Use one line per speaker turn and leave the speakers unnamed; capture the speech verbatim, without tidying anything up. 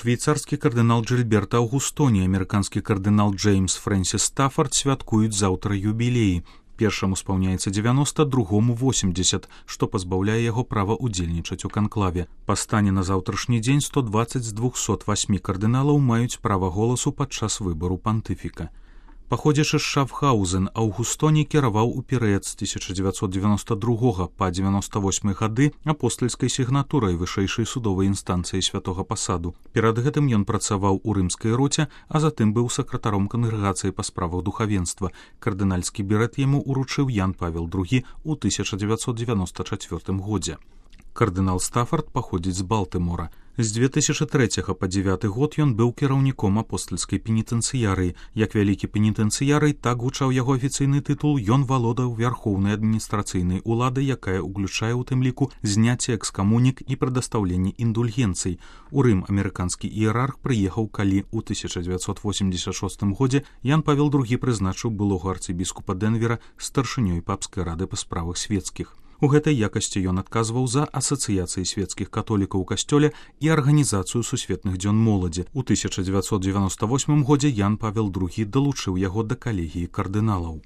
Швейцарскі кардынал Джильберта Аўгустоні і амерыканскі кардынал Джеймс Фрэнсіс Стаффорд святкуюць заўтра юбілеі. Першаму спаўняецца дзевяноста, другому восемьдесят, што пазбаўляе яго права ўдзельнічаць у канклаве. Па стане на заўтрашні дзень сто дваццаць з двухсот восьмі кардыналаў маюць права голасу падчас выбару пантыфіка. Паходзячы з Шафхаузен, Аўгустоні кіраваў у перыяд з тысяча дзевяцьсот дзевяноста другога па дзевяноста восьмы гады апостальскай сігнатурай вышэйшай судовай інстанцыі святога пасаду. Перад гэтым ён працаваў у рымскай роце, а затым быў сакратаром кангрэгацыі па справах духавенства. Кардынальскі берэт яму ўручыў Ян Павел другі ў тысяча дзевяцьсот дзевяноста чацвёртым годзе. Кардынал Стаффорд паходзіць з Балтымора. З две тысячи трэцяга па дзевяты год ён быў кіраўніком апостальскай пенітэнцыярыі. Як вялікі пенітэнцыярый, так гучаў яго афіцыйны тытул, ён валодаў вярхоўнай адміністрацыйнай уладай, якая ўключае ў тым ліку зняцце экскамунік і прадастаўленне індульгенцый. У Рым амерыканскі іерарх прыехаў, калі ў тысяча дзевяцьсот восемьдесят шостым годзе Ян Павел другі прызначыў былога арцыбіскупа Дэнвера старшынёй папскай рады па справах свецкіх. У гэтай якасці ён адказваў за асацыяцыі свецкіх католікаў у касцёле і арганізацыю сусветных дзён моладзі. У тысяча дзевяцьсот дзевяноста восьмым годзе Ян Павел другі далучыў яго да калегіі кардыналаў.